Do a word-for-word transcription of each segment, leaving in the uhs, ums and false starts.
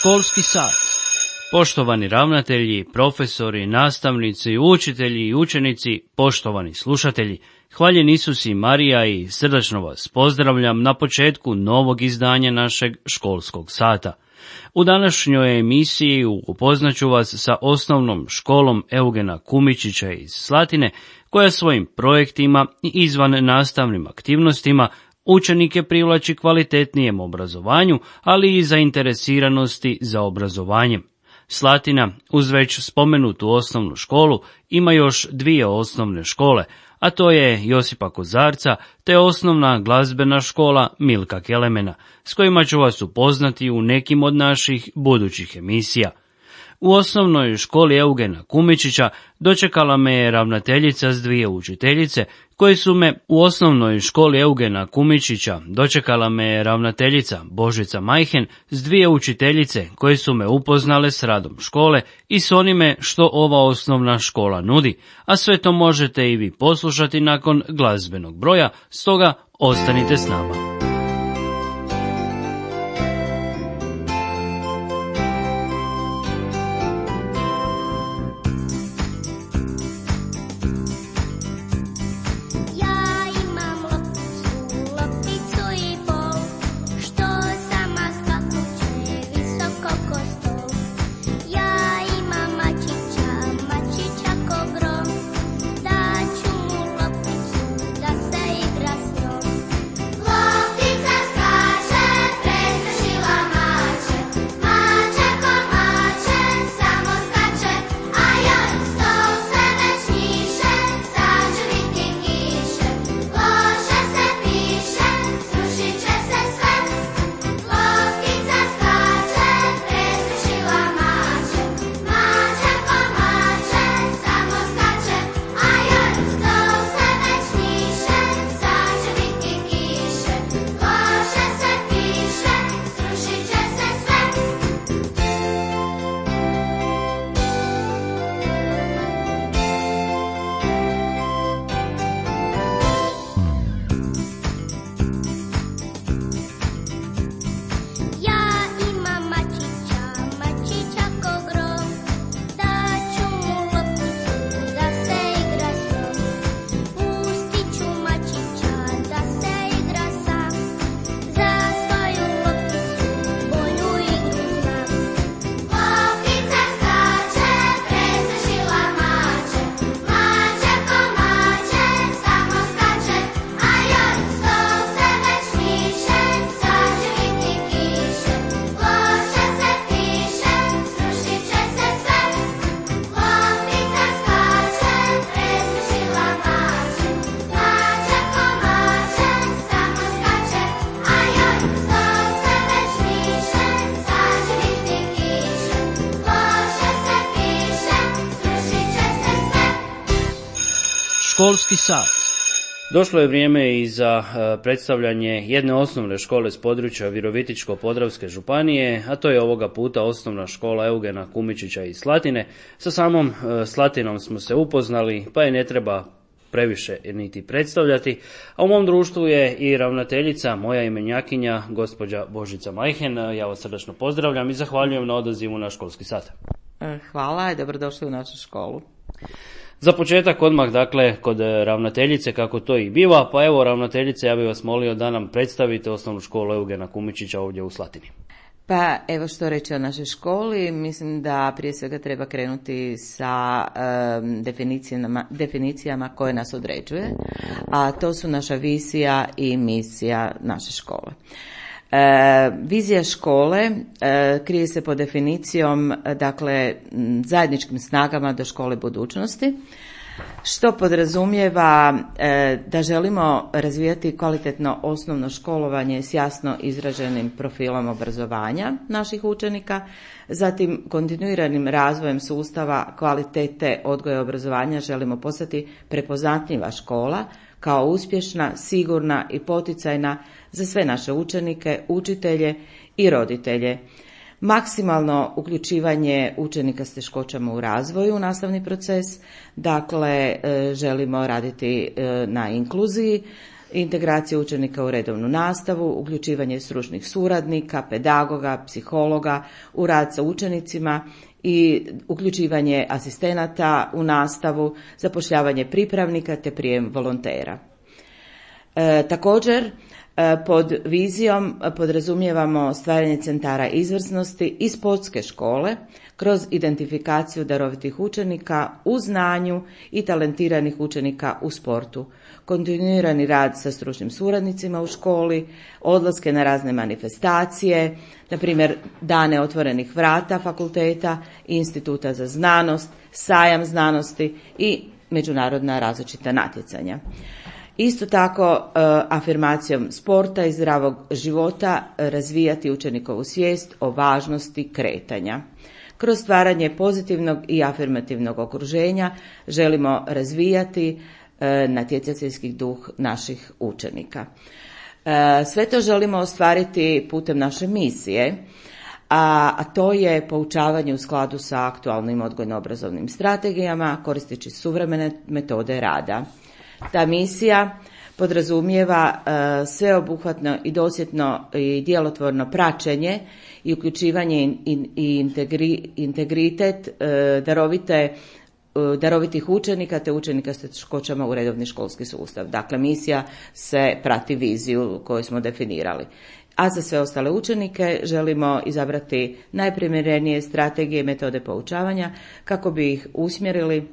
Školski sat. Poštovani ravnatelji, profesori, nastavnici, učitelji i učenici, poštovani slušatelji, hvaljen Isus i Marija i srdačno vas pozdravljam na početku novog izdanja našeg školskog sata. U današnjoj emisiji upoznaću vas sa osnovnom školom Eugena Kumičića iz Slatine, koja svojim projektima i izvan nastavnim aktivnostima učenike privlači kvalitetnijem obrazovanju, ali i zainteresiranosti za obrazovanjem. Slatina, uz već spomenutu osnovnu školu, ima još dvije osnovne škole, a to je Josipa Kozarca te osnovna glazbena škola Milka Kelemena, s kojima ću vas upoznati u nekim od naših budućih emisija. U osnovnoj školi Eugena Kumičića dočekala me je ravnateljica s dvije učiteljice, koje su me u osnovnoj školi Eugena Kumičića dočekala me je ravnateljica Božica Majhen s dvije učiteljice koje su me upoznale s radom škole i s onime što ova osnovna škola nudi, a sve to možete i vi poslušati nakon glazbenog broja, stoga ostanite s nama. Školski sat. Došlo je vrijeme i za predstavljanje jedne osnovne škole s područja Virovitičko-podravske županije, a to je ovoga puta osnovna škola Eugena Kumičića iz Slatine. Sa samom Slatinom smo se upoznali, pa je ne treba previše niti predstavljati, a u mom društvu je i ravnateljica, moja imenjakinja, gospođa Božica Majhen. Ja vas srdačno pozdravljam i zahvaljujem na odazivu na školski sat. Hvala i dobrodošli u našu školu. Za početak odmah, dakle, kod ravnateljice, kako to i biva, pa evo ravnateljice, ja bih vas molio da nam predstavite osnovnu školu Eugena Kumičića ovdje u Slatini. Pa evo što reći o našoj školi, mislim da prije svega treba krenuti sa um, definicijama, definicijama koje nas određuje, a to su naša vizija i misija naše škole. E, vizija škole e, krije se pod definicijom, dakle, zajedničkim snagama do škole budućnosti, što podrazumijeva e, da želimo razvijati kvalitetno osnovno školovanje s jasno izraženim profilom obrazovanja naših učenika, zatim kontinuiranim razvojem sustava kvalitete odgoja i obrazovanja želimo postati prepoznatljiva škola kao uspješna, sigurna i poticajna za sve naše učenike, učitelje i roditelje. Maksimalno uključivanje učenika s teškoćama u razvoju u nastavni proces, dakle želimo raditi na inkluziji integracija učenika u redovnu nastavu, uključivanje stručnih suradnika, pedagoga, psihologa u rad sa učenicima i uključivanje asistenata u nastavu, zapošljavanje pripravnika te prijem volontera. E, također, pod vizijom podrazumijevamo stvaranje centara izvrsnosti i sportske škole kroz identifikaciju darovitih učenika u znanju i talentiranih učenika u sportu, kontinuirani rad sa stručnim suradnicima u školi, odlaske na razne manifestacije, na primjer dane otvorenih vrata fakulteta i instituta za znanost, sajam znanosti i međunarodna različita natjecanja. Isto tako, afirmacijom sporta i zdravog života razvijati učenikovu svijest o važnosti kretanja. Kroz stvaranje pozitivnog i afirmativnog okruženja želimo razvijati natjecateljski duh naših učenika. Sve to želimo ostvariti putem naše misije, a to je poučavanje u skladu sa aktualnim odgojno-obrazovnim strategijama koristeći suvremene metode rada. Ta misija podrazumijeva uh, sveobuhvatno i dosljedno i djelotvorno praćenje i uključivanje i, i, i integri, integritet uh, darovite, uh, darovitih učenika te učenika s teškoćama u redovni školski sustav. Dakle, misija se prati viziju koju smo definirali. A za sve ostale učenike želimo izabrati najprimjerenije strategije i metode poučavanja kako bi ih usmjerili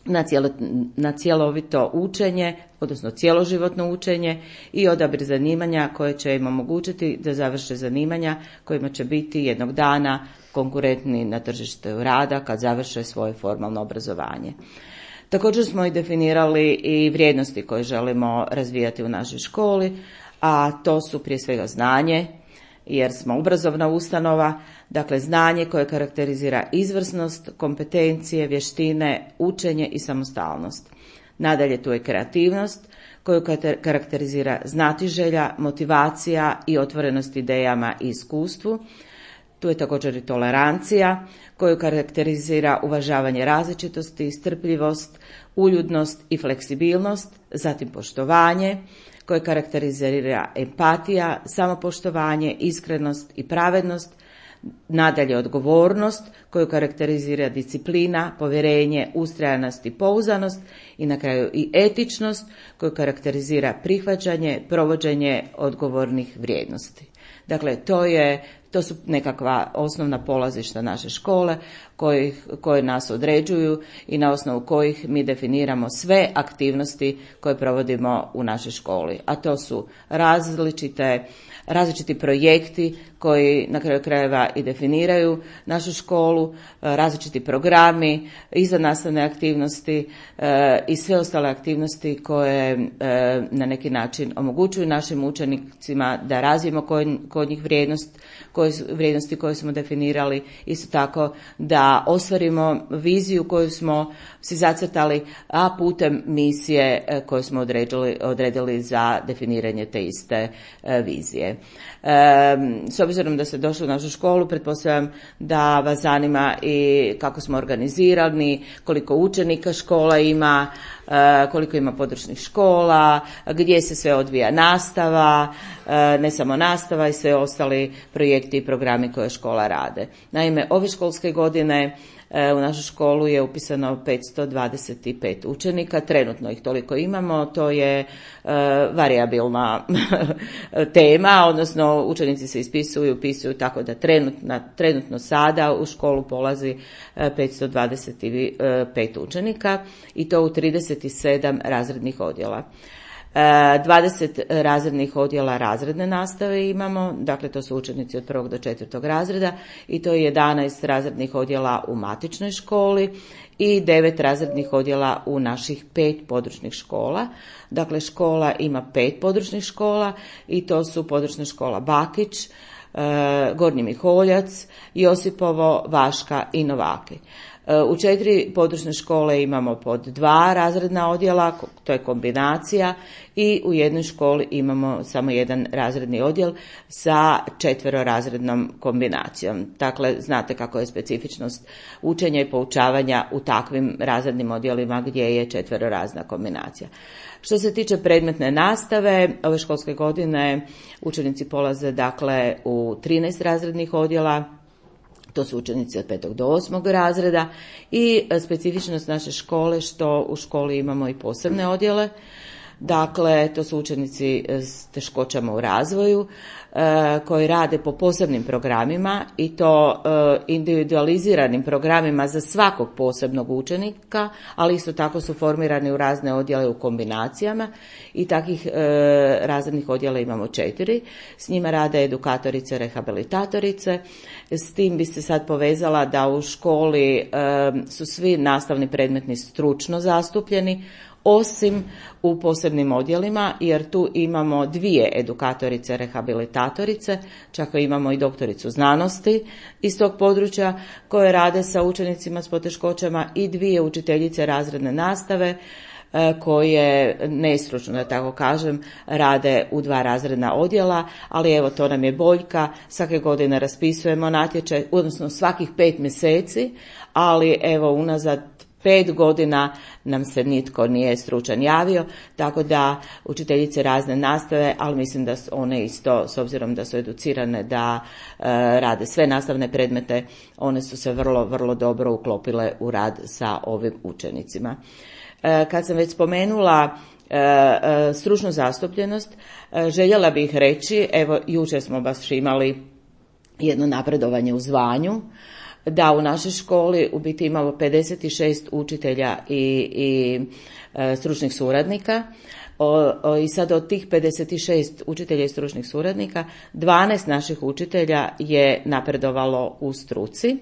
na, cijelo, na cjelovito učenje, odnosno cjeloživotno učenje i odabir zanimanja koje će im omogućiti da završe zanimanja kojima će biti jednog dana konkurentni na tržištu rada kad završe svoje formalno obrazovanje. Također smo i definirali i vrijednosti koje želimo razvijati u našoj školi, a to su prije svega znanje, jer smo obrazovna ustanova, dakle znanje koje karakterizira izvrsnost, kompetencije, vještine, učenje i samostalnost. Nadalje tu je kreativnost koju karakterizira znatiželja, motivacija i otvorenost idejama i iskustvu. Tu je također i tolerancija koju karakterizira uvažavanje različitosti, strpljivost, uljudnost i fleksibilnost, zatim poštovanje koje karakterizira empatija, samopoštovanje, iskrenost i pravednost, nadalje odgovornost koju karakterizira disciplina, povjerenje, ustrajanost i pouzdanost i na kraju i etičnost koju karakterizira prihvaćanje, provođenje odgovornih vrijednosti. Dakle, to je To su nekakva osnovna polazišta naše škole koji, koje nas određuju i na osnovu kojih mi definiramo sve aktivnosti koje provodimo u našoj školi. A to su različite, različiti projekti koji na kraju krajeva i definiraju našu školu, različiti programi, izvannastavne aktivnosti e, i sve ostale aktivnosti koje e, na neki način omogućuju našim učenicima da razvijemo kod, kod njih vrijednost, koje, vrijednosti koje smo definirali, isto tako da ostvarimo viziju koju smo si zacrtali, a putem misije e, koju smo odredili, odredili za definiranje te iste e, vizije. E, s obzirom da ste došli u našu školu, pretpostavljam da vas zanima i kako smo organizirani, koliko učenika škola ima, koliko ima područnih škola, gdje se sve odvija nastava, ne samo nastava i sve ostali projekti i programi koje škola rade. Naime, ove školske godine u našu školu je upisano petsto dvadeset pet učenika, trenutno ih toliko imamo, to je uh, varijabilna tema, odnosno učenici se ispisuju i upisuju tako da trenutno, trenutno sada u školu polazi uh, petsto dvadeset pet učenika i to u trideset sedam razrednih odjela. dvadeset razrednih odjela razredne nastave imamo, dakle to su učenici od prvog do četvrtog razreda i to je jedanaest razrednih odjela u matičnoj školi i devet razrednih odjela u naših pet područnih škola. Dakle, škola ima pet područnih škola i to su područna škola Bakić, Gornji Miholjac, Josipovo, Vaška i Novaki. U četiri područne škole imamo pod dva razredna odjela, to je kombinacija, i u jednoj školi imamo samo jedan razredni odjel sa četverorazrednom kombinacijom. Dakle, znate kako je specifičnost učenja i poučavanja u takvim razrednim odjelima gdje je četverorazredna kombinacija. Što se tiče predmetne nastave, ove školske godine učenici polaze dakle u trinaest razrednih odjela. To su učenici od petog do osmog razreda i specifičnost naše škole što u školi imamo i posebne odjele. Dakle, to su učenici s teškoćama u razvoju koji rade po posebnim programima i to individualiziranim programima za svakog posebnog učenika, ali isto tako su formirani u razne odjele u kombinacijama i takvih razrednih odjela imamo četiri. S njima rade edukatorice, rehabilitatorice. S tim bi se sad povezala da u školi su svi nastavni predmeti stručno zastupljeni, osim u posebnim odjelima, jer tu imamo dvije edukatorice, rehabilitatorice, čak imamo i doktoricu znanosti iz tog područja koje rade sa učenicima s poteškoćama i dvije učiteljice razredne nastave koje nestručno, da tako kažem, rade u dva razredna odjela, ali evo to nam je boljka, svake godine raspisujemo natječaj, odnosno svakih pet mjeseci, ali evo unazad Pet godina nam se nitko nije stručan javio, tako da učiteljice razne nastave, ali mislim da one isto, s obzirom da su educirane da e, rade sve nastavne predmete, one su se vrlo, vrlo dobro uklopile u rad sa ovim učenicima. E, kad sam već spomenula e, e, stručnu zastupljenost, e, željela bih reći, evo jučer smo baš imali jedno napredovanje u zvanju, da u našoj školi u biti imamo pedeset šest učitelja i, i e, stručnih suradnika o, o, i sad od tih pedeset šest učitelja i stručnih suradnika dvanaest naših učitelja je napredovalo u struci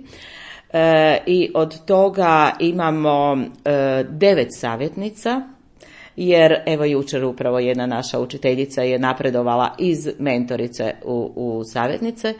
e, i od toga imamo e, devet savjetnica, jer evo jučer upravo jedna naša učiteljica je napredovala iz mentorice u, u savjetnice.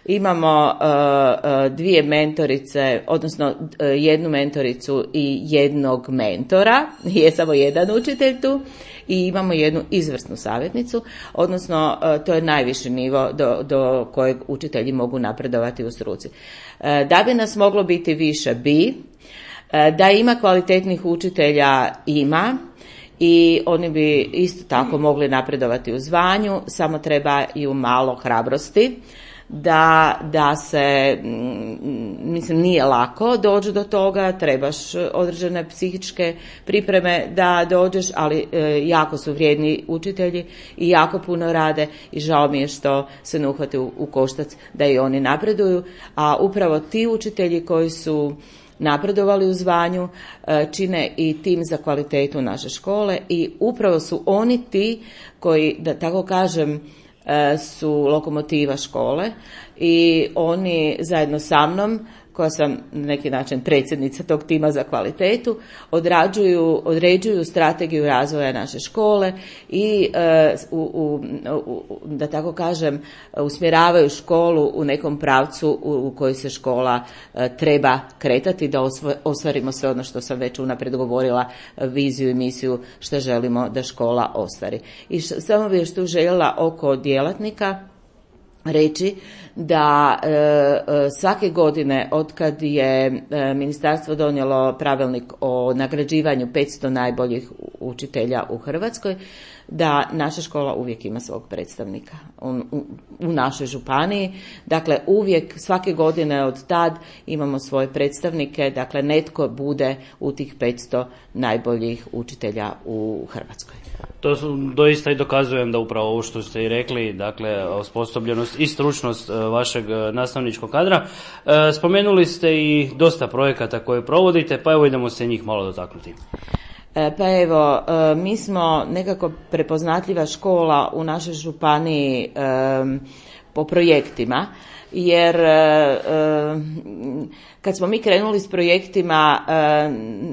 Imamo uh, dvije mentorice, odnosno uh, jednu mentoricu i jednog mentora, je samo jedan učitelj tu, i imamo jednu izvrsnu savjetnicu, odnosno uh, to je najviši nivo do, do kojeg učitelji mogu napredovati u struci. Uh, da bi nas moglo biti više, bi, uh, da ima kvalitetnih učitelja, ima, i oni bi isto tako mogli napredovati u zvanju, samo treba i u malo hrabrosti. Da, da se, mislim, nije lako doći do toga, trebaš određene psihičke pripreme da dođeš, ali e, jako su vrijedni učitelji i jako puno rade i žao mi je što se ne uhvate u, u koštac da i oni napreduju, a upravo ti učitelji koji su napredovali u zvanju e, čine i tim za kvalitetu naše škole i upravo su oni ti koji, da tako kažem, su lokomotiva škole i oni zajedno sa mnom, koja sam na neki način predsjednica tog tima za kvalitetu, odrađuju, određuju strategiju razvoja naše škole i u, u, u, da tako kažem usmjeravaju školu u nekom pravcu u, u koji se škola treba kretati, da ostvarimo sve ono što sam već unaprijed govorila, viziju i misiju što želimo da škola ostvari. I š, samo bih još tu željela oko djelatnika reći da e, e, svake godine otkad je e, ministarstvo donijelo pravilnik o nagrađivanju petsto najboljih učitelja u Hrvatskoj, da naša škola uvijek ima svog predstavnika u, u, u našoj županiji. Dakle, uvijek, svake godine od tad imamo svoje predstavnike, dakle netko bude u tih petsto najboljih učitelja u Hrvatskoj. To su, doista i dokazujem da upravo ovo što ste i rekli, dakle, osposobljenost i stručnost vašeg nastavničkog kadra. Spomenuli ste i dosta projekata koje provodite, pa evo idemo se njih malo dotaknuti. Pa evo, mi smo nekako prepoznatljiva škola u našoj županiji po projektima, jer kad smo mi krenuli s projektima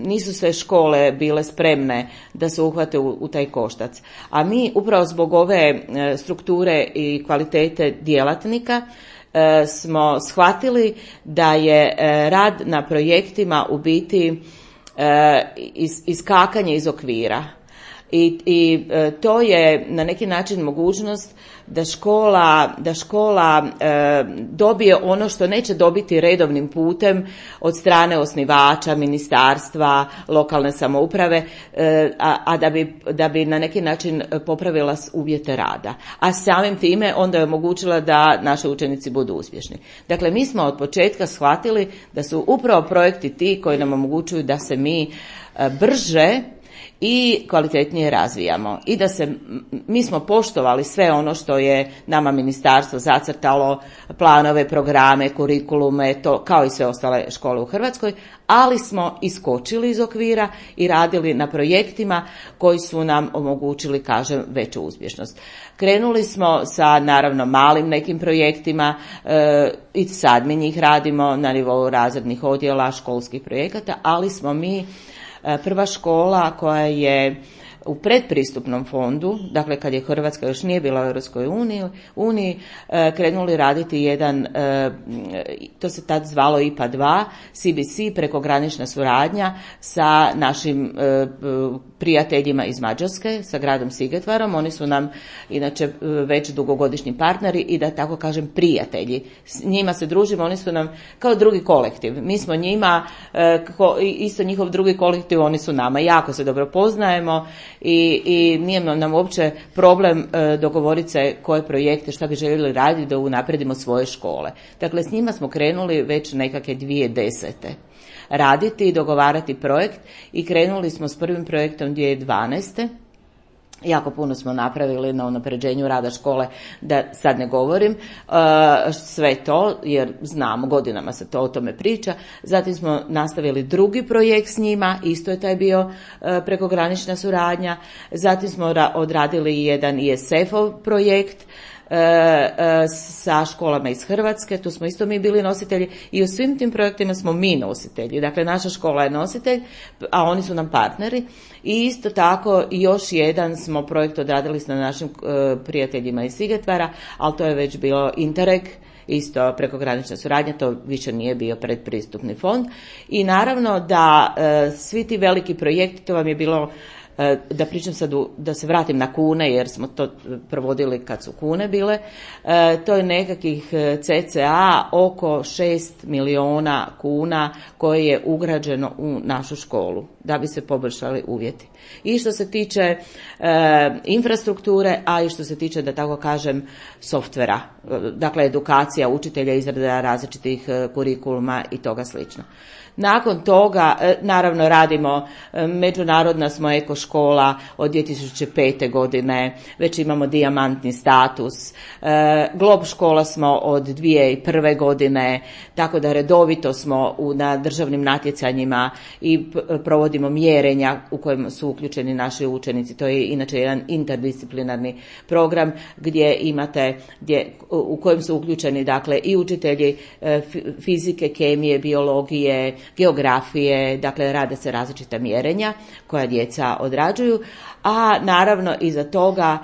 nisu sve škole bile spremne da se uhvate u, u taj koštac. A mi upravo zbog ove strukture i kvalitete djelatnika smo shvatili da je rad na projektima u biti iskakanje iz okvira. I, i to je na neki način mogućnost da škola, da škola e, dobije ono što neće dobiti redovnim putem od strane osnivača, ministarstva, lokalne samouprave, e, a, a da bi, da bi na neki način popravila uvjete rada. A samim time onda je omogućila da naši učenici budu uspješni. Dakle, mi smo od početka shvatili da su upravo projekti ti koji nam omogućuju da se mi e, brže i kvalitetnije razvijamo i da se, mi smo poštovali sve ono što je nama ministarstvo zacrtalo, planove, programe, kurikulume, to kao i sve ostale škole u Hrvatskoj, ali smo iskočili iz okvira i radili na projektima koji su nam omogućili, kažem, veću uspješnost. Krenuli smo sa naravno malim nekim projektima e, i sad mi njih radimo na nivou razrednih odjela, školskih projekata, ali smo mi prva škola koja je u predpristupnom fondu, dakle kad je Hrvatska još nije bila u Europskoj uniji, krenuli raditi jedan, to se tad zvalo I P A dva, C B C, prekogranična suradnja sa našim prijateljima iz Mađarske, sa gradom Sigetvarom. Oni su nam inače već dugogodišnji partneri i da tako kažem prijatelji. S njima se družimo, oni su nam kao drugi kolektiv. Mi smo njima, isto njihov drugi kolektiv, oni su nama. Jako se dobro poznajemo i, i nije nam uopće problem dogovoriti se koje projekte, šta bi željeli raditi da unapredimo svoje škole. Dakle, s njima smo krenuli već nekakve dvije tisuće desete raditi i dogovarati projekt i krenuli smo s prvim projektom dvije tisuće dvanaeste. Jako puno smo napravili na unapređenju rada škole, da sad ne govorim sve to, jer znamo, godinama se to o tome priča. Zatim smo nastavili drugi projekt s njima, isto je taj bio prekogranična suradnja. Zatim smo odradili jedan I S F-ov projekt sa školama iz Hrvatske, tu smo isto mi bili nositelji i u svim tim projektima smo mi nositelji. Dakle, naša škola je nositelj, a oni su nam partneri. I isto tako još jedan smo projekt odradili sa našim prijateljima iz Sigetvara, ali to je već bilo Interreg, isto prekogranična suradnja, to više nije bio predpristupni fond. I naravno da svi ti veliki projekti, to vam je bilo, da pričam sad, da se vratim na kune, jer smo to provodili kad su kune bile, to je nekakvih cca oko šest milijuna kuna koje je ugrađeno u našu školu da bi se poboljšali uvjeti. I što se tiče e, infrastrukture, a i što se tiče, da tako kažem, softvera, dakle edukacija učitelja, izrada različitih kurikuluma i toga slično. Nakon toga, naravno, radimo, međunarodna smo eko škola od dvije tisuće pete godine, već imamo dijamantni status, Glob škola smo od dvije tisuće prve godine, tako da redovito smo u, na državnim natjecanjima i provodimo mjerenja u kojem su uključeni naši učenici. To je inače jedan interdisciplinarni program gdje imate, gdje, u kojem su uključeni dakle i učitelji fizike, kemije, biologije, geografije, dakle rade se različita mjerenja koja djeca odrađuju, a naravno iza toga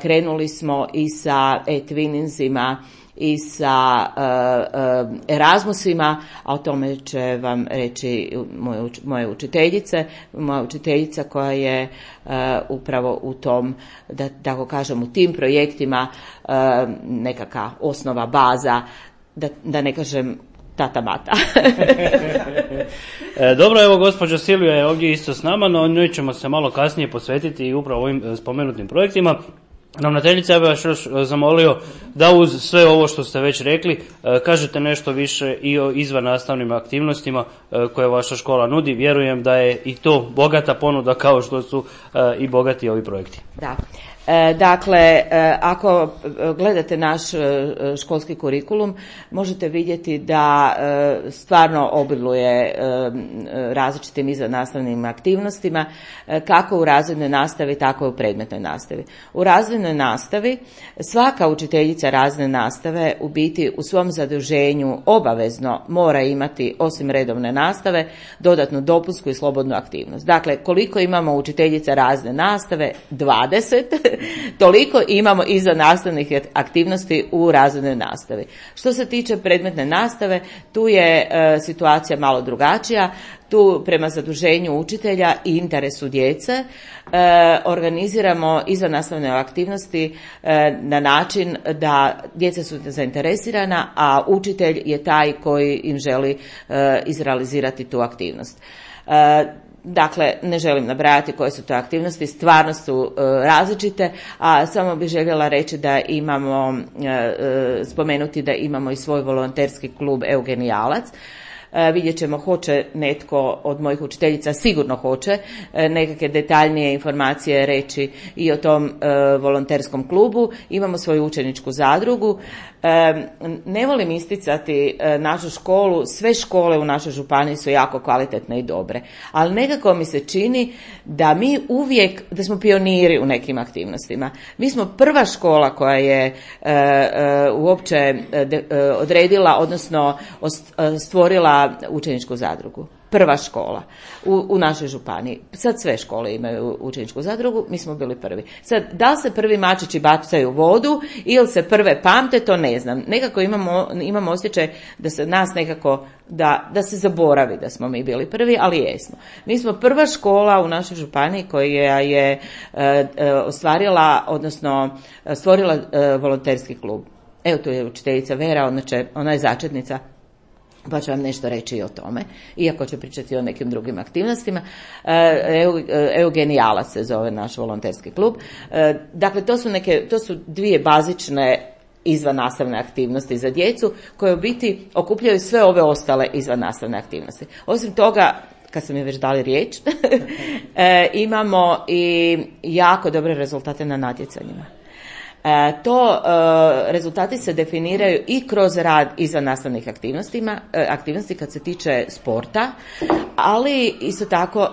krenuli smo i sa e-twinningsima i sa uh, uh, Erasmusima, a o tome će vam reći moje, moje učiteljice, moja učiteljica koja je uh, upravo u tom, da tako kažem, u tim projektima uh, nekakva osnova, baza, da, da ne kažem tata mata. Dobro, evo gospođa Silvija je ovdje isto s nama, no njoj ćemo se malo kasnije posvetiti i upravo ovim spomenutim projektima. Ravnateljica, ja bih vas još zamolio da uz sve ovo što ste već rekli kažete nešto više i o izvannastavnim aktivnostima koje vaša škola nudi. Vjerujem da je i to bogata ponuda kao što su i bogati ovi projekti. Da. E, dakle, e, ako gledate naš e, školski kurikulum, možete vidjeti da e, stvarno obiluje e, različitim izvannastavnim aktivnostima, e, kako u razrednoj nastavi, tako i u predmetnoj nastavi. U razrednoj nastavi svaka učiteljica razredne nastave u biti u svom zaduženju obavezno mora imati, osim redovne nastave, dodatnu dopunsku i slobodnu aktivnost. Dakle, koliko imamo učiteljica razredne nastave? dvadeset Toliko imamo izvan nastavnih aktivnosti u razrednoj nastavi. Što se tiče predmetne nastave, tu je e, situacija malo drugačija. Tu prema zaduženju učitelja i interesu djece e, organiziramo izvannastavne aktivnosti e, na način da djeca su zainteresirana, a učitelj je taj koji im želi e, izrealizirati tu aktivnost. E, Dakle, ne želim nabrajati koje su to aktivnosti, stvarno su e, različite, a samo bih željela reći da imamo, e, spomenuti da imamo i svoj volonterski klub Eugenijalac. E, vidjet ćemo hoće netko od mojih učiteljica, sigurno hoće, e, nekakve detaljnije informacije reći i o tom e, volonterskom klubu. Imamo svoju učeničku zadrugu. E, ne volim isticati e, našu školu, sve škole u našoj županiji su jako kvalitetne i dobre, ali nekako mi se čini da mi uvijek, da smo pioniri u nekim aktivnostima. Mi smo prva škola koja je e, e, uopće de, e, odredila, odnosno stvorila učeničku zadrugu. Prva škola u, u našoj županiji. Sad sve škole imaju učeničku zadrugu, mi smo bili prvi. Sad, da li se prvi mačići bacaju u vodu ili se prve pamte, to ne znam. Nekako imamo, imamo osjećaj da se nas nekako, da, da se zaboravi da smo mi bili prvi, ali jesmo. Mi smo prva škola u našoj županiji koja je e, e, ostvarila, odnosno stvorila e, volonterski klub. Evo tu je učiteljica Vera, ona, će, ona je začetnica, pa ću vam nešto reći i o tome, iako ću pričati o nekim drugim aktivnostima. Eugenijalac se zove naš volonterski klub. Dakle, to su, neke, to su dvije bazične izvannastavne aktivnosti za djecu koje u biti okupljaju sve ove ostale izvannastavne aktivnosti. Osim toga, kad sam je već dali riječ, imamo i jako dobre rezultate na natjecanjima. E, to e, rezultati se definiraju i kroz rad izvan nastavnih aktivnostima, e, aktivnosti kad se tiče sporta, ali isto tako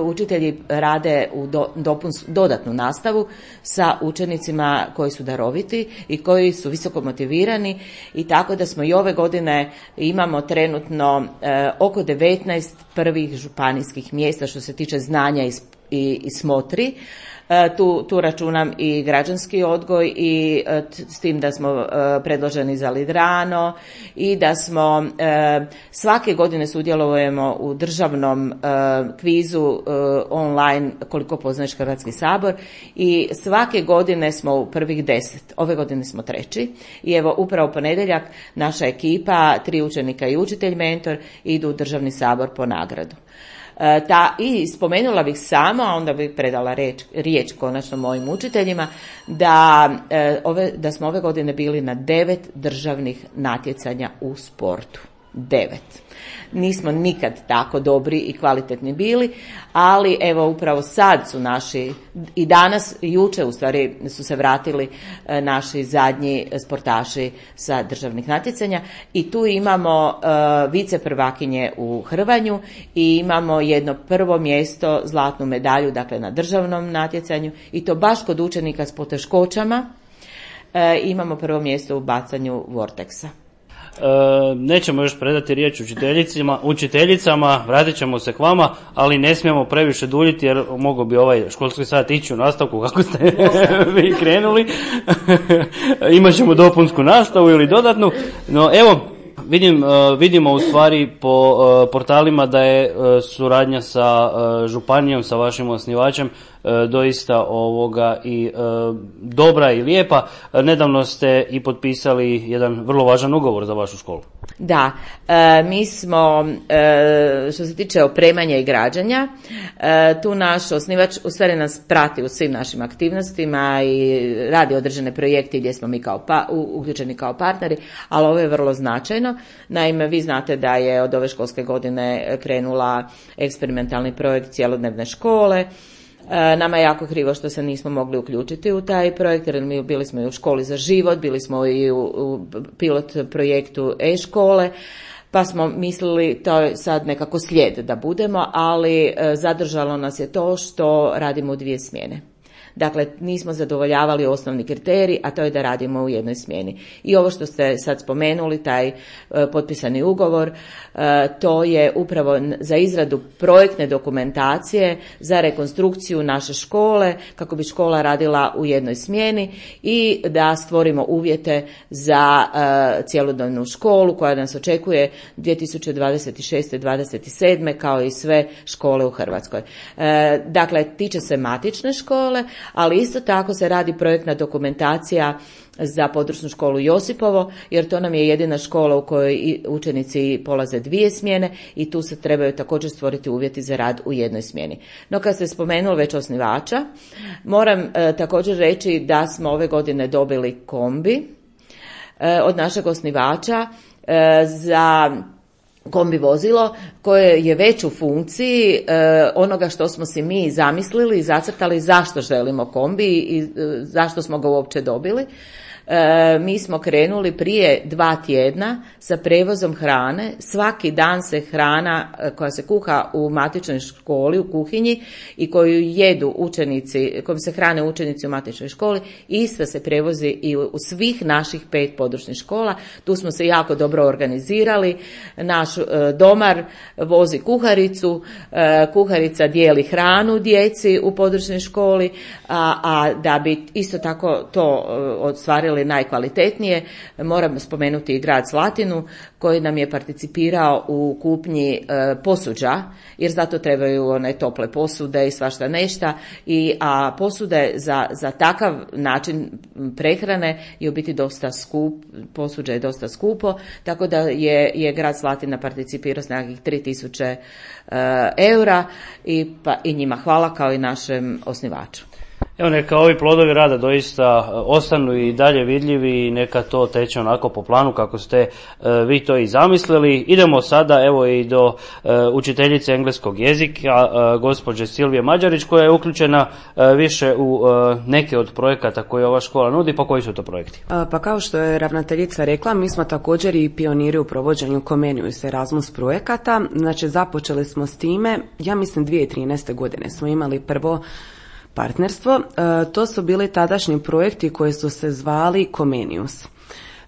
učitelji rade u do, dopuns, dodatnu nastavu sa učenicima koji su daroviti i koji su visoko motivirani, i tako da smo i ove godine imamo trenutno e, oko devetnaest prvih županijskih mjesta što se tiče znanja i, i, i smotri. Tu, tu računam i građanski odgoj i t, s tim da smo e, predloženi za Lidrano i da smo e, svake godine sudjelujemo u državnom e, kvizu e, online koliko poznaješ Hrvatski sabor, i svake godine smo u prvih deset. Ove godine smo treći i evo upravo ponedjeljak naša ekipa, tri učenika i učitelj mentor, idu u državni sabor po nagradu. Ta, i spomenula bih samo, a onda bih predala riječ, riječ konačno mojim učiteljima, da, e, ove, da smo ove godine bili na devet državnih natjecanja u sportu. Devet. Nismo nikad tako dobri i kvalitetni bili, ali evo upravo sad su naši, i danas i jučer u stvari su se vratili e, naši zadnji sportaši sa državnih natjecanja, i tu imamo e, vice prvakinje u hrvanju i imamo jedno prvo mjesto, zlatnu medalju, dakle na državnom natjecanju, i to baš kod učenika s poteškoćama. E, imamo prvo mjesto u bacanju vorteksa. E, nećemo još predati riječ učiteljicama, učiteljicama, vratit ćemo se k vama, ali ne smijemo previše duljiti jer mogao bi ovaj školski sat ići u nastavku kako ste vi krenuli. Imat ćemo dopunsku nastavu ili dodatnu, no evo vidim, vidimo u stvari po portalima da je suradnja sa županijom, sa vašim osnivačem doista ovoga i e, dobra i lijepa. Nedavno ste i potpisali jedan vrlo važan ugovor za vašu školu. Da, e, mi smo, e, što se tiče opremanja i građanja, e, tu naš osnivač u stvari nas prati u svim našim aktivnostima i radi određene projekte gdje smo mi kao pa, uključeni kao partneri, ali ovo je vrlo značajno. Naime, vi znate da je od ove školske godine krenula eksperimentalni projekt cjelodnevne škole. Nama je jako krivo što se nismo mogli uključiti u taj projekt, jer mi bili smo i u školi za život, bili smo i u, u pilot projektu e-škole, pa smo mislili to je sad nekako slijed da budemo, ali zadržalo nas je to što radimo u dvije smjene. Dakle, nismo zadovoljavali osnovni kriterij, a to je da radimo u jednoj smjeni. I ovo što ste sad spomenuli, taj e, potpisani ugovor, e, to je upravo za izradu projektne dokumentacije za rekonstrukciju naše škole, kako bi škola radila u jednoj smjeni i da stvorimo uvjete za e, cjelodnevnu školu koja nas očekuje dvije tisuće dvadeset šeste dvadeset sedme kao i sve škole u Hrvatskoj. E, dakle, tiče se matične škole, ali isto tako se radi projektna dokumentacija za područnu školu Josipovo, jer to nam je jedina škola u kojoj učenici polaze dvije smjene i tu se trebaju također stvoriti uvjeti za rad u jednoj smjeni. No, kad ste spomenuli već osnivača, moram e, također reći da smo ove godine dobili kombi e, od našeg osnivača e, za kombi vozilo koje je već u funkciji e, onoga što smo si mi zamislili i zacrtali zašto želimo kombi i e, zašto smo ga uopće dobili. E, mi smo krenuli prije dva tjedna sa prevozom hrane. Svaki dan se hrana koja se kuha u matičnoj školi, u kuhinji i koju jedu učenici, kojom se hrane učenici u matičnoj školi, ista se prevozi i u svih naših pet područnih škola. Tu smo se jako dobro organizirali. Naš e, domar vozi kuharicu, e, kuharica dijeli hranu djeci u područnoj školi, a, a da bi isto tako to e, ostvarili najkvalitetnije, moram spomenuti i grad Slatinu koji nam je participirao u kupnji e, posuđa, jer zato trebaju one tople posude i svašta nešta, i, a posude za, za takav način prehrane je u biti dosta skup, posuđa je dosta skupo, tako da je, je grad Slatina participirao s nekakvih tri tisuće e, eura i, pa, i njima hvala kao i našem osnivaču. Evo, neka ovi plodovi rada doista ostanu i dalje vidljivi i neka to teče onako po planu kako ste e, vi to i zamislili. Idemo sada evo i do e, učiteljice engleskog jezika, e, gospođe Silvije Mađarić, koja je uključena e, više u e, neke od projekata koje ova škola nudi. Pa koji su to projekti? Pa kao što je ravnateljica rekla, mi smo također i pioniri u provođenju Comenius Erasmus projekata. Znači, započeli smo s time, ja mislim dvije tisuće trinaeste godine smo imali prvo partnerstvo. E, to su bili tadašnji projekti koji su se zvali Comenius.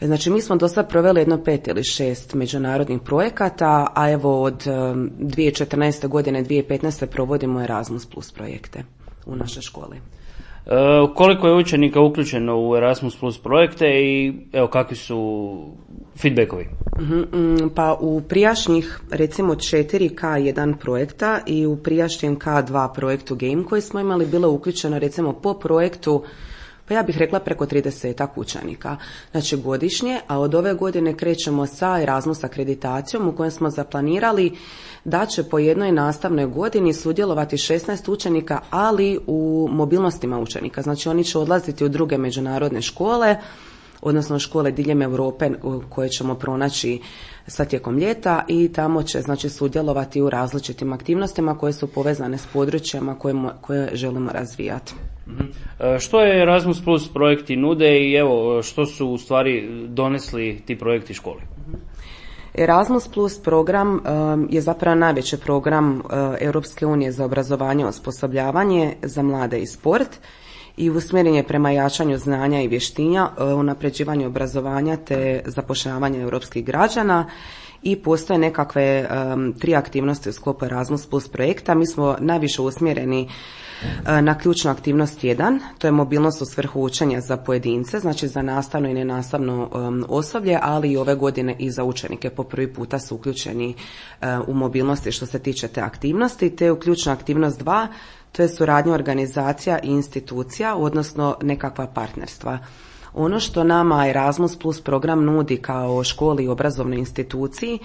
Znači, mi smo do sad proveli jedno pet ili šest međunarodnih projekata, a evo od um, dvije tisuće četrnaeste godine, dvije tisuće petnaeste provodimo Erasmus Plus projekte u našoj školi. E, koliko je učenika uključeno u Erasmus Plus projekte i evo kakvi su feedbackovi? Mm, pa u prijašnjih recimo četiri K jedan projekta i u prijašnjem K dva projektu Game koji smo imali bilo uključeno recimo po projektu, pa ja bih rekla preko tridesetak učenika, znači godišnje, a od ove godine krećemo sa Erasmus akreditacijom u kojem smo zaplanirali da će po jednoj nastavnoj godini sudjelovati šesnaest učenika, ali u mobilnostima učenika. Znači, oni će odlaziti u druge međunarodne škole, odnosno škole diljem Europe koje ćemo pronaći sa tijekom ljeta i tamo će, znači, sudjelovati u različitim aktivnostima koje su povezane s područjama koje, koje želimo razvijati. Mm-hmm. Što je Erasmus Plus projekti nude i evo što su u stvari donesli ti projekti školi? Erasmus Plus program um, je zapravo najveći program uh, Europske unije za obrazovanje i osposobljavanje za mlade i sport i usmjeren je prema jačanju znanja i vještina, uh, unapređivanju obrazovanja te zapošljavanja europskih građana i postoje nekakve um, tri aktivnosti u sklopu Erasmus Plus projekta. Mi smo najviše usmjereni na ključnu aktivnost jedan, to je mobilnost u svrhu učenja za pojedince, znači za nastavno i nenastavno um, osoblje, ali i ove godine i za učenike. Po prvi puta su uključeni uh, u mobilnosti što se tiče te aktivnosti, te u ključnu aktivnost dva, to je suradnja organizacija i institucija, odnosno nekakva partnerstva. Ono što nama Erasmus Plus program nudi kao školi i obrazovnoj instituciji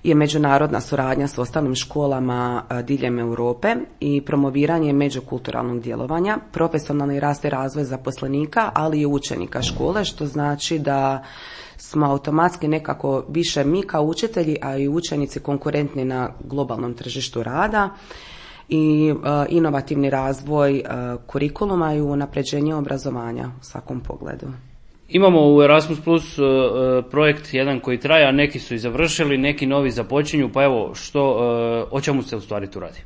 je međunarodna suradnja s ostalim školama diljem Europe i promoviranje međukulturalnog djelovanja, profesionalni rast i razvoj zaposlenika, ali i učenika škole, što znači da smo automatski nekako više mi kao učitelji, a i učenici konkurentni na globalnom tržištu rada i uh, inovativni razvoj uh, kurikuluma i unapređenje obrazovanja u svakom pogledu. Imamo u Erasmus Plus uh, projekt jedan koji traje, a neki su i završili, neki novi započinju, pa evo što, uh, o čemu se u stvari tu radi?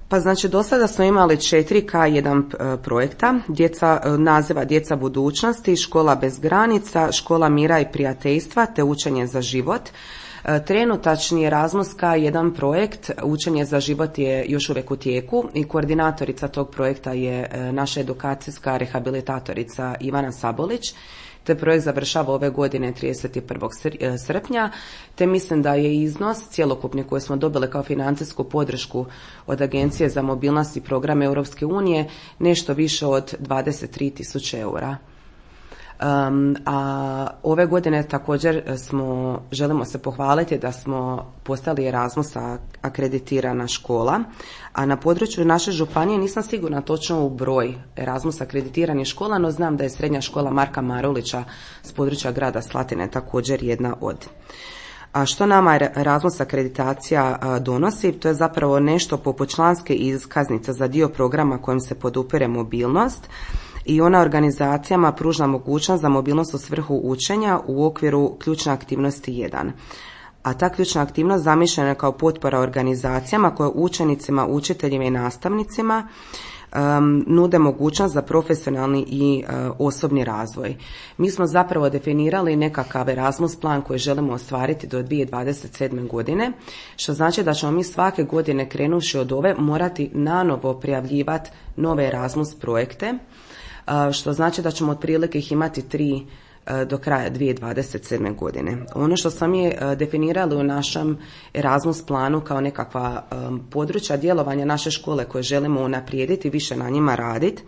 Pa znači do sada smo imali četiri K jedan projekta, djeca, naziva Djeca budućnosti, Škola bez granica, Škola mira i prijateljstva te Učenje za život. Trenutačni Erasmus K jedan projekt Učenje za život je još uvijek u tijeku i koordinatorica tog projekta je naša edukacijska rehabilitatorica Ivana Sabolić. Te projekt završava ove godine trideset prvog srpnja, te mislim da je iznos cjelokupni koji smo dobili kao financijsku podršku od Agencije za mobilnost i program Europske unije nešto više od dvadeset tri tisuće eura. Um, a ove godine također smo, želimo se pohvaliti da smo postali Erasmus akreditirana škola, a na području naše županije nisam sigurna točno u broj Erasmus akreditiranih škola, no znam da je srednja škola Marka Marulića s područja grada Slatine također jedna od. A što nama Erasmus akreditacija donosi? To je zapravo nešto poput članske iskaznice za dio programa kojim se podupire mobilnost, i ona organizacijama pruža mogućnost za mobilnost u svrhu učenja u okviru ključne aktivnosti jedan. A ta ključna aktivnost zamišljena je kao potpora organizacijama koje učenicima, učiteljima i nastavnicima um, nude mogućnost za profesionalni i uh, osobni razvoj. Mi smo zapravo definirali nekakav Erasmus plan koji želimo ostvariti do dvije tisuće dvadeset sedme. godine, što znači da ćemo mi svake godine krenuvši od ove morati nanovo prijavljivati nove Erasmus projekte, što znači da ćemo otprilike ih imati tri do kraja dvije tisuće dvadeset sedme. godine. Ono što smo mi definirali u našem Erasmus planu kao nekakva područja djelovanja naše škole koje želimo unaprijediti, više na njima raditi,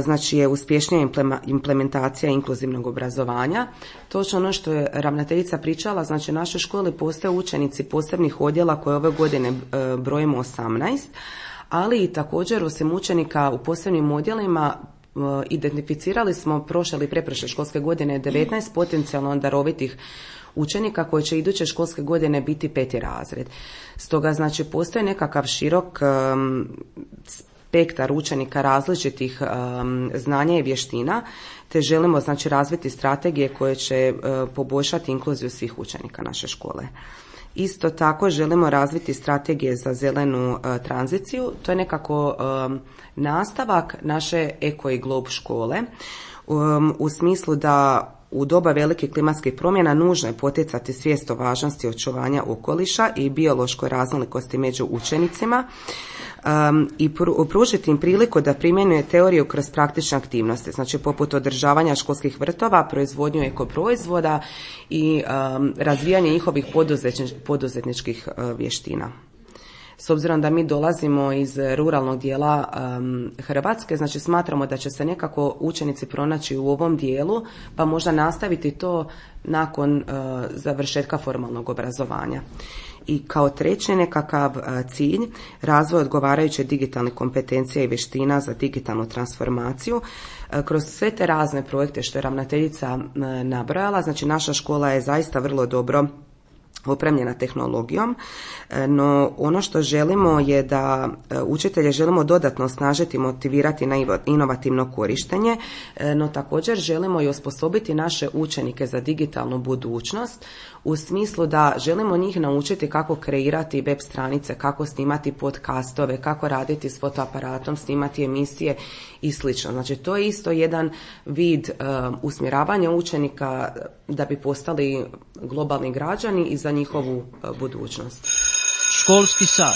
znači je uspješnija implementacija inkluzivnog obrazovanja. Točno ono što je ravnateljica pričala, znači u našoj školi postoje učenici posebnih odjela koje ove godine brojimo osamnaest, ali i također osim učenika u posebnim odjelima identificirali smo prošle ili pretprošle školske godine devetnaest potencijalno darovitih učenika koji će iduće školske godine biti peti razred. Stoga znači postoji nekakav širok um, spektar učenika različitih um, znanja i vještina, te želimo znači razviti strategije koje će uh, poboljšati inkluziju svih učenika naše škole. Isto tako želimo razviti strategije za zelenu uh, tranziciju. To je nekako um, nastavak naše Eko i Globe škole um, u smislu da u doba velikih klimatskih promjena nužno je poticati svijest o važnosti očuvanja okoliša i biološkoj raznolikosti među učenicima um, i pru, pružiti im priliku da primjenjuje teoriju kroz praktične aktivnosti, znači poput održavanja školskih vrtova, proizvodnju ekoproizvoda i um, razvijanje njihovih poduzetničkih uh, vještina. S obzirom da mi dolazimo iz ruralnog dijela um, Hrvatske, znači smatramo da će se nekako učenici pronaći u ovom dijelu, pa možda nastaviti to nakon uh, završetka formalnog obrazovanja. I kao treći nekakav uh, cilj, razvoj odgovarajuće digitalnih kompetencija i vještina za digitalnu transformaciju. Uh, kroz sve te razne projekte što je ravnateljica uh, nabrojala, znači naša škola je zaista vrlo dobro opremljena tehnologijom, no ono što želimo je da učitelje želimo dodatno osnažiti i motivirati na inovativno korištenje, no također želimo i osposobiti naše učenike za digitalnu budućnost u smislu da želimo njih naučiti kako kreirati web stranice, kako snimati podcastove, kako raditi s fotoaparatom, snimati emisije i slično. Znači to je isto jedan vid uh, usmjeravanja učenika da bi postali globalni građani i za njihovu uh, budućnost. Školski sat.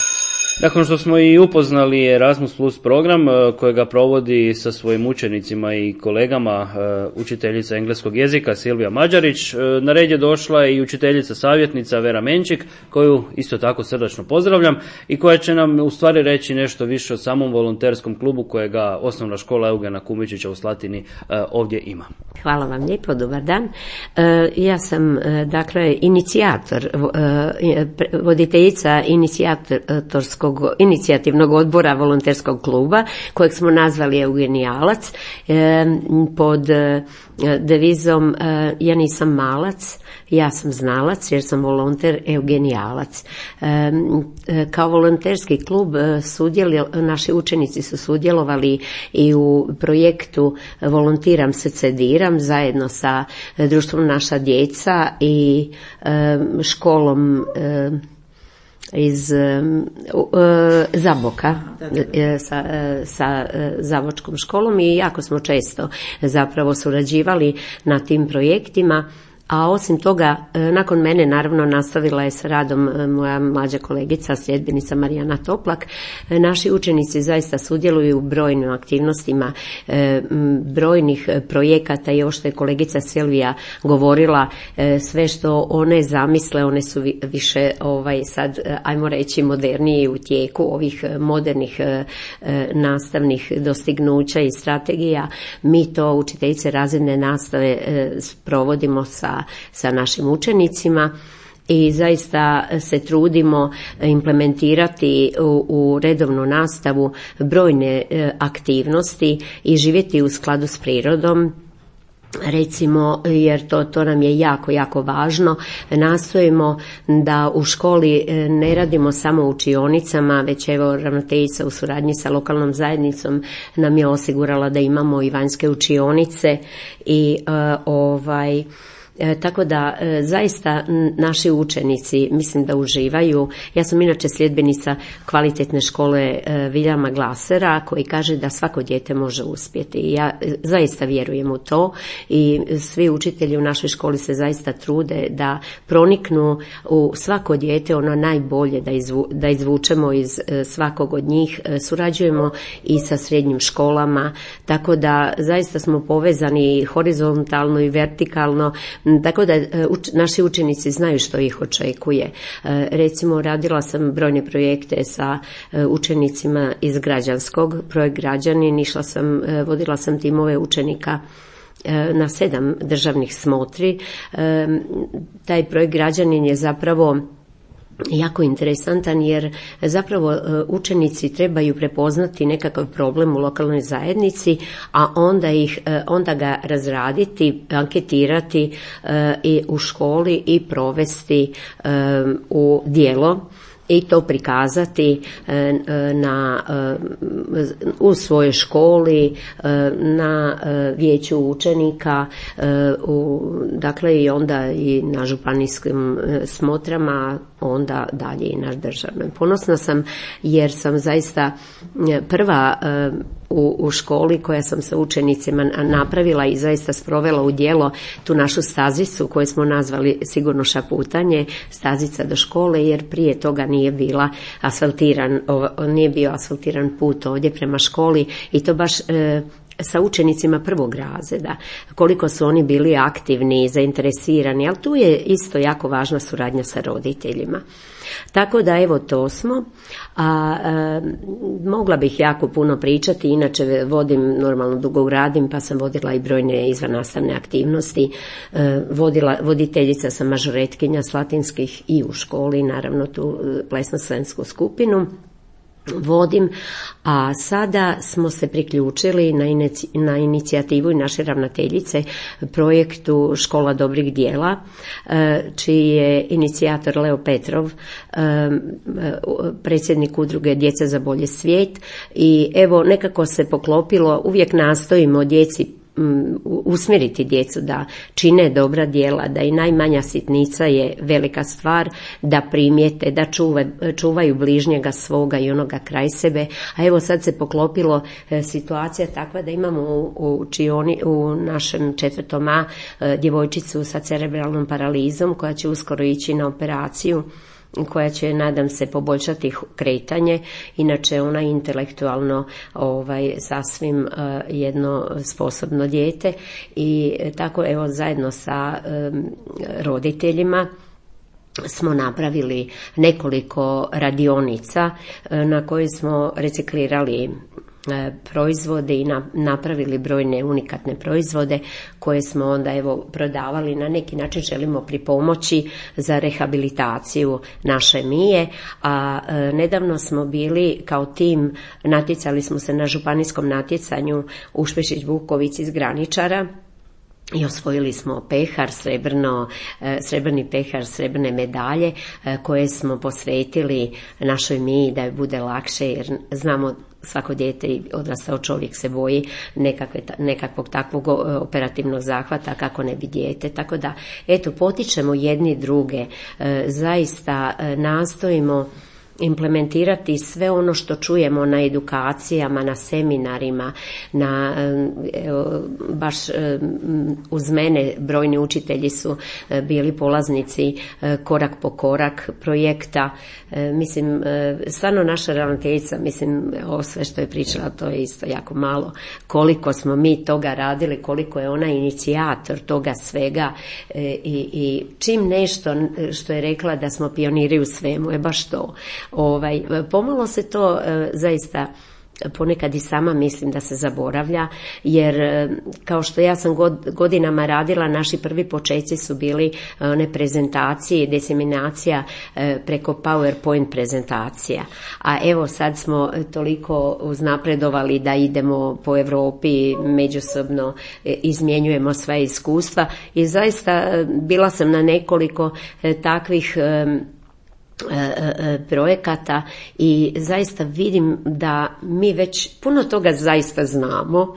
Nakon što smo i upoznali Erasmus Plus program kojega provodi sa svojim učenicima i kolegama učiteljica engleskog jezika Silvija Mađarić, na red je došla i učiteljica savjetnica Vera Menčik, koju isto tako srdačno pozdravljam i koja će nam u stvari reći nešto više o samom volonterskom klubu kojega osnovna škola Eugena Kumičića u Slatini ovdje ima. Hvala vam lijepo, dobar dan. Ja sam dakle inicijator, voditeljica inicijatorskog inicijativnog odbora volonterskog kluba kojeg smo nazvali Eugenijalac pod devizom ja nisam malac, ja sam znalac jer sam volonter Eugenijalac. Kao volonterski klub sudjelo, naši učenici su sudjelovali i u projektu Volontiram se cediram zajedno sa društvom Naša djeca i školom iz Zaboka sa, sa Zavočkom školom i jako smo često zapravo surađivali na tim projektima. A osim toga, nakon mene naravno nastavila je s radom moja mlađa kolegica, sljedbenica Marijana Toplak. Naši učenici zaista sudjeluju u brojnim aktivnostima, brojnih projekata i ovo što je kolegica Silvija govorila, sve što one zamisle, one su više ovaj, sad, ajmo reći, modernije u tijeku ovih modernih nastavnih dostignuća i strategija. Mi to, učiteljice razredne nastave, provodimo sa sa našim učenicima i zaista se trudimo implementirati u, u redovnu nastavu brojne aktivnosti i živjeti u skladu s prirodom. Recimo, jer to, to nam je jako, jako važno, nastojimo da u školi ne radimo samo u učionicama, već evo ravnateljica u suradnji sa lokalnom zajednicom nam je osigurala da imamo i vanjske učionice i uh, ovaj E, tako da e, zaista naši učenici mislim da uživaju. Ja sam inače sljedbenica kvalitetne škole e, Viljama Glasera koji kaže da svako dijete može uspjeti. Ja e, zaista vjerujem u to i svi učitelji u našoj školi se zaista trude da proniknu u svako dijete ono najbolje, da, izvu, da izvučemo iz e, svakog od njih. E, surađujemo i sa srednjim školama, tako da zaista smo povezani horizontalno i vertikalno. Tako da uč, naši učenici znaju što ih očekuje. E, recimo, radila sam brojne projekte sa e, učenicima iz građanskog, projekt Građanin, išla sam, e, vodila sam timove učenika e, na sedam državnih smotri. E, taj projekt Građanin je zapravo jako interesantan jer zapravo učenici trebaju prepoznati nekakav problem u lokalnoj zajednici, a onda ih onda ga razraditi, anketirati i u školi i provesti u djelo i to prikazati na, u svojoj školi, na vijeću učenika, u, dakle i onda i na županijskim smotrama, onda dalje i na državnom. Ponosna sam jer sam zaista prva u, u školi koja sam sa učenicima napravila i zaista sprovela u djelo tu našu stazicu koju smo nazvali sigurno šaputanje, stazica do škole, jer prije toga nije bila asfaltiran, nije bio asfaltiran put ovdje prema školi i to baš e, sa učenicima prvog razreda, koliko su oni bili aktivni i zainteresirani, ali tu je isto jako važna suradnja sa roditeljima. Tako da evo to smo, a e, mogla bih jako puno pričati, inače vodim, normalno dugo radim, pa sam vodila i brojne izvannastavne aktivnosti, e, vodila, voditeljica sam mažoretkinja slatinskih i u školi, naravno tu plesno-slensku skupinu vodim, a sada smo se priključili na, inici, na inicijativu i naše ravnateljice projektu Škola dobrih djela, čiji je inicijator Leo Petrov, predsjednik udruge Djeca za bolji svijet, i evo nekako se poklopilo, uvijek nastojimo djeci usmjeriti djecu da čine dobra djela, da i najmanja sitnica je velika stvar, da primijete, da čuva, čuvaju bližnjega svoga i onoga kraj sebe. A evo sad se poklopilo e, situacija takva da imamo u, u, čioni, u našem četvrtom A e, djevojčicu sa cerebralnom paralizom koja će uskoro ići na operaciju, koja će, nadam se, poboljšati kretanje. Inače ona je intelektualno ovaj, sasvim uh, jedno sposobno dijete i tako evo zajedno sa um, roditeljima smo napravili nekoliko radionica na koji smo reciklirali proizvode i napravili brojne unikatne proizvode koje smo onda evo prodavali. Na neki način želimo pripomoći za rehabilitaciju naše Mije, a e, nedavno smo bili kao tim, natjecali smo se na županijskom natjecanju u Špešić Bukovici iz Graničara i osvojili smo pehar, srebrno, srebrni pehar, srebrne medalje koje smo posvetili našoj Miji da je bude lakše, jer znamo svako dijete i odrastao čovjek se boji nekakve, nekakvog takvog operativnog zahvata kako ne bi dijete. Tako da, eto, potičemo jedni druge, zaista nastojimo implementirati sve ono što čujemo na edukacijama, na seminarima, na, evo, baš uz mene brojni učitelji su bili polaznici korak po korak projekta. Mislim, stvarno naša ravnateljica, mislim, ovo sve što je pričala, to je isto jako malo. Koliko smo mi toga radili, koliko je ona inicijator toga svega i, i čim nešto što je rekla da smo pioniri u svemu, je baš to. Ovaj, pomalo se to e, zaista ponekad i sama mislim da se zaboravlja, jer kao što ja sam god, godinama radila, naši prvi počeci su bili one prezentacije i diseminacija e, preko PowerPoint prezentacija. A evo sad smo toliko uznapredovali da idemo po Europi, međusobno e, izmjenjujemo sva iskustva i zaista e, bila sam na nekoliko e, takvih e, projekata i zaista vidim da mi već puno toga zaista znamo.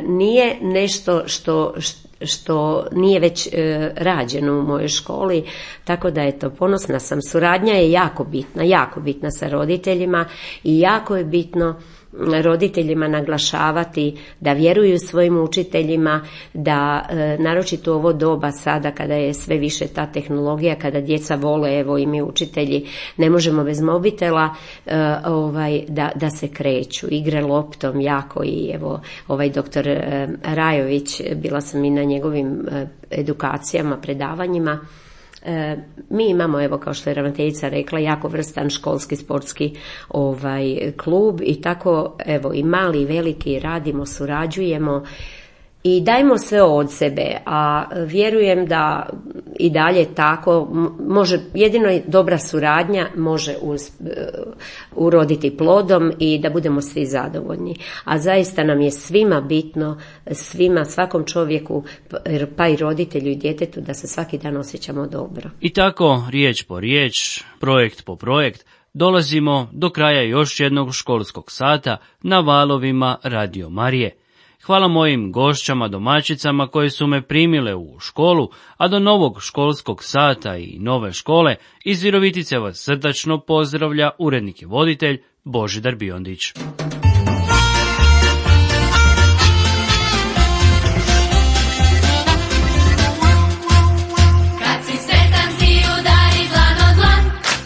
Nije nešto što, što nije već rađeno u mojoj školi, tako da eto, ponosna sam. Suradnja je jako bitna, jako bitna sa roditeljima i jako je bitno roditeljima naglašavati da vjeruju svojim učiteljima, da e, naročito u ovo doba sada kada je sve više ta tehnologija, kada djeca vole, evo i mi učitelji ne možemo bez mobitela, e, ovaj, da, da se kreću, igre loptom jako. I evo ovaj doktor e, Rajović, bila sam i na njegovim e, edukacijama, predavanjima. E, mi imamo, evo kao što je ravnateljica rekla, jako vrstan školski sportski ovaj klub i tako evo i mali i veliki radimo, surađujemo i dajmo sve od sebe, a vjerujem da i dalje tako može, jedino dobra suradnja može uz, uh, uroditi plodom i da budemo svi zadovoljni. A zaista nam je svima bitno, svima, svakom čovjeku, pa i roditelju i djetetu, da se svaki dan osjećamo dobro. I tako, riječ po riječ, projekt po projekt, dolazimo do kraja još jednog školskog sata na valovima Radio Marije. Hvala mojim gošćama, domaćicama koje su me primile u školu, a do novog školskog sata i nove škole iz Virovitice vas srdačno pozdravlja urednik i voditelj Božidar Biondić. Kad si sretan ti ponovi